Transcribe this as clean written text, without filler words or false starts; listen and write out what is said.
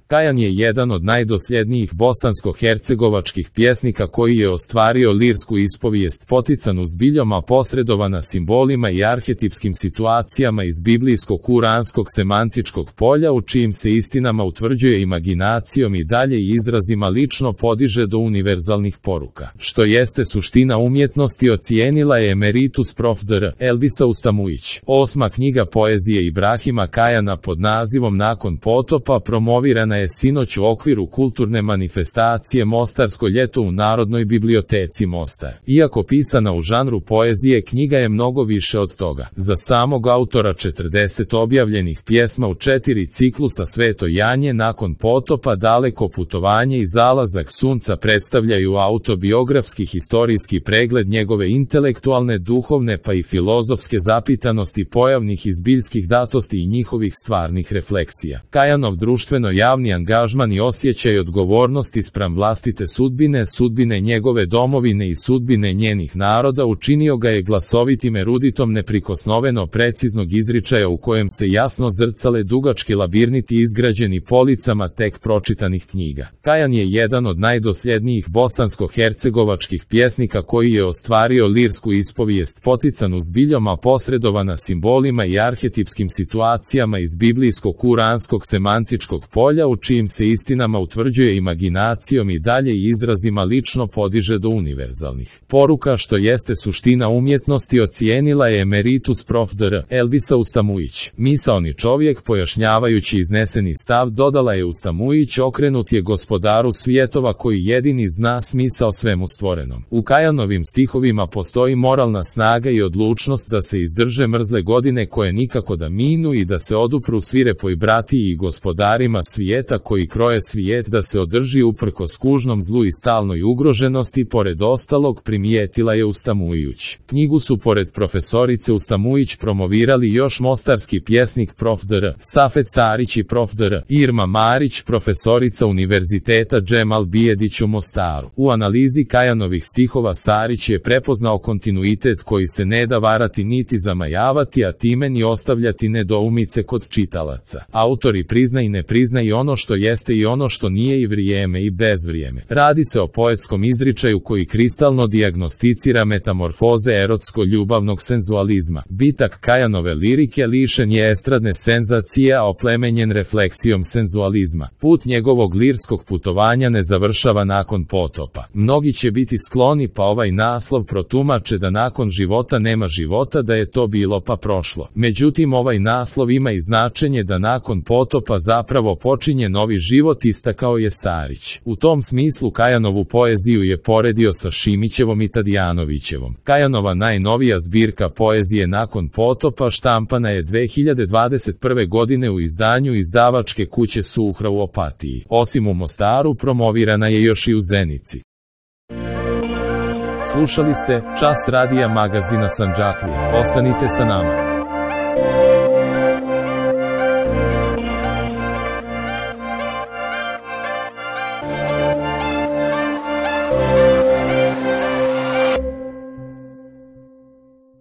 Kajan je jedan od najdosljednijih bosansko-hercegovačkih pjesnika koji je ostvario lirsku ispovijest poticanu zbiljom, a posredovana simbolima i arhetipskim situacijama iz biblijskog kuranskog semantičkog polja, u čijim se istinama utvrđuje imaginacijom i dalje i izrazima lično podiže do univerzalnih poruka. Što jeste suština umjetnosti, ocijenila je emeritus prof. dr. Elbisa Ustamujić. 8. knjiga poezije Ibrahima Kajana pod nazivom Nakon potopa promovirana je sinoć u okviru kulturne manifestacije Mostarsko ljeto u Narodnoj biblioteci Mostar. Iako pisana u žanru poezije, knjiga je mnogo više od toga. Za samog autora 40 objavljenih pjesma u 4 ciklusa Sveto Janje, Nakon potopa, Daleko putovanje i Zalazak sunca predstavljaju autobiografski historijski pregled njegove intelektualne, duhovne pa i filozofske zapitanosti, pojavnih i zbiljskih datosti i njihovih stvarnih refleksija. Kajanov društveno-javni angažman i osjećaj odgovornosti spram vlastite sudbine, sudbine njegove domovine i sudbine njenih naroda učinio ga je glasovitim eruditom neprikosnoveno preciznog izričaja u kojem se jasno zrcale dugački labirniti izgrađeni policama tek pročitanih knjiga. Kajan je jedan od najdosljednijih bosansko-hercegovačkih pjesnika koji je ostvario lirsku ispovijest poticanu zbiljom, a posredovana simbolima i arhetipskim situacijama iz biblijskog kuranskog semantičkog polja, u čijim se istinama utvrđuje imaginacijom i dalje i izrazima lično podiže do univerzalnih poruka. Što jeste suština umjetnosti, ocijenila je emeritus prof. dr. Elbisa Ustamujić. Misaoni čovjek, pojašnjavajući izneseni stav, dodala je Ustamujić, okrenut je gospodaru svjetova koji jedini zna smisao svemu stvorenom. U Kajanovim stihovima postoji moralna snaga i odlučnost da se izdrže mrzle godine koje nikako da minu i da se odupru svirepoj bratiji i gospodarima svijeta koji kroje svijet, da se održi uprkos kužnom zlu i stalnoj ugroženosti. Pored ostalog, primijetila je Ustamujić. Knjigu su pored profesorice Ustamujić promovirali još mostarski pjesnik prof. dr. Safet Sarić i prof. dr. Irma Marić, profesorica Univerziteta Džemal Bijedić u Mostaru. U analizi Kajanovih stihova Sarić je prepoznao kontinuitet koji se ne da varati niti zamajavati, a time ni ostavljati nedoumice kod čitalaca. Autori prizna i ne prizna i ono što jeste i ono što nije, i vrijeme i bezvrijeme. Radi se o poetskom izričaju koji kristalno dijagnosticira metamorfoze erotsko-ljubavnog senzualizma. Bitak Kajanove lirike lišen je estradne senzacije, a oplemenjen refleksijom senzualizma. Put njegovog lirskog putovanja ne završava nakon potopa. Mnogi će biti skloni pa ovaj naslov protumače da nakon života nema života, da je to bilo pa prošlo. Međutim, ovaj naslov ima i značenje da nakon potopa zapravo počinje novi život, istakao je Sarić. U tom smislu Kajanovu poeziju je poredio sa Šimićevom i Tadijanovićevom. Kajanova najnovija zbirka poezije Nakon potopa štampana je 2021. godine u izdanju izdavačke kuće Suhra u Opatiji. Osim u Mostaru, promovirana je još i u Zenici. Slušali ste Čas radija magazina Sandžaklija. Ostanite sa nama.